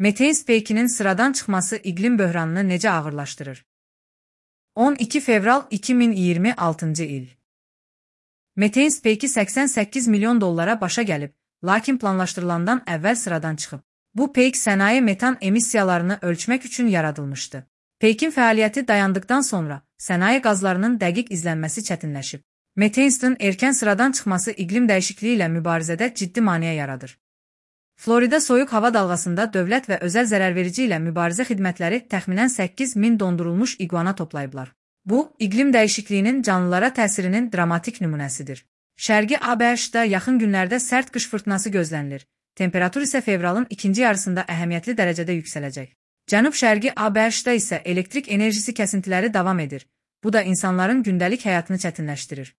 Metein peykinin sıradan çıxması iqlim böhranını necə ağırlaşdırır? 12 fevral 2026 il. Metein peyki $88 milyon başa gəlib, lakin planlaşdırılandan əvvəl sıradan çıxıb. Bu peyk sənaye metan emissiyalarını ölçmək üçün yaradılmışdı. Peykin fəaliyyəti dayandıqdan sonra sənaye qazlarının dəqiq izlənməsi çətinləşib. Metein'in erkən sıradan çıxması iqlim dəyişikliyi ilə mübarizədə ciddi maneə yaradır. Florida soyuq hava dalğasında dövlət və özəl zərərverici ilə mübarizə xidmətləri təxminən 8.000 dondurulmuş iguana toplayıblar. Bu, iqlim dəyişikliyinin canlılara təsirinin dramatik nümunəsidir. Şərqi ABŞ-da yaxın günlərdə sərt qış fırtınası gözlənilir. Temperatur isə fevralın ikinci yarısında əhəmiyyətli dərəcədə yüksələcək. Cənub-şərqi ABŞ-da isə elektrik enerjisi kəsintiləri davam edir. Bu da insanların gündəlik həyatını çətinləşdirir.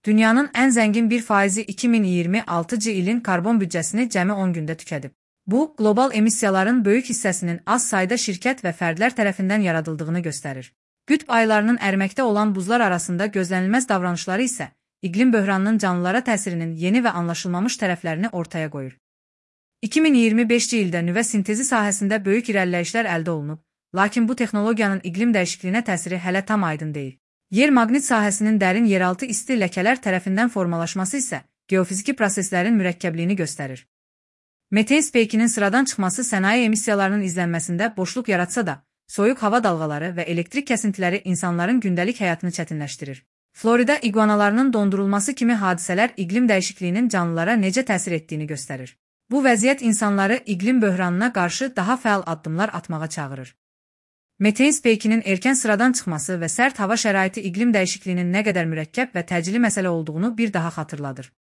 Dünyanın ən zəngin 1%-i 2026 ilin karbon büdcəsini cəmi 10 gündə tükədib. Bu, qlobal emissiyaların böyük hissəsinin az sayda şirkət və fərdlər tərəfindən yaradıldığını göstərir. Qütb aylarının əriməkdə olan buzlar arasında gözlənilməz davranışları isə iqlim böhranının canlılara təsirinin yeni və anlaşılmamış tərəflərini ortaya qoyur. 2025-ci ildə nüvə sintezi sahəsində böyük irəliləyişlər əldə olunub, lakin bu texnologiyanın iqlim dəyişikliyinə təsiri hələ tam aydın deyil. Yer maqnit sahəsinin dərin yeraltı isti ləkələr tərəfindən formalaşması isə geofiziki proseslərin mürəkkəbliyini göstərir. Metein peykinin sıradan çıxması sənaye emissiyalarının izlənməsində boşluq yaratsa da, soyuq hava dalğaları və elektrik kəsintiləri insanların gündəlik həyatını çətinləşdirir. Florida iguanalarının dondurulması kimi hadisələr iqlim dəyişikliyinin canlılara necə təsir etdiyini göstərir. Bu vəziyyət insanları iqlim böhranına qarşı daha fəal addımlar atmağa çağırır. Metein peykinin erkən sıradan çıxması və sərt hava şəraiti iqlim dəyişikliyinin nə qədər mürəkkəb və təcili məsələ olduğunu bir daha xatırladır.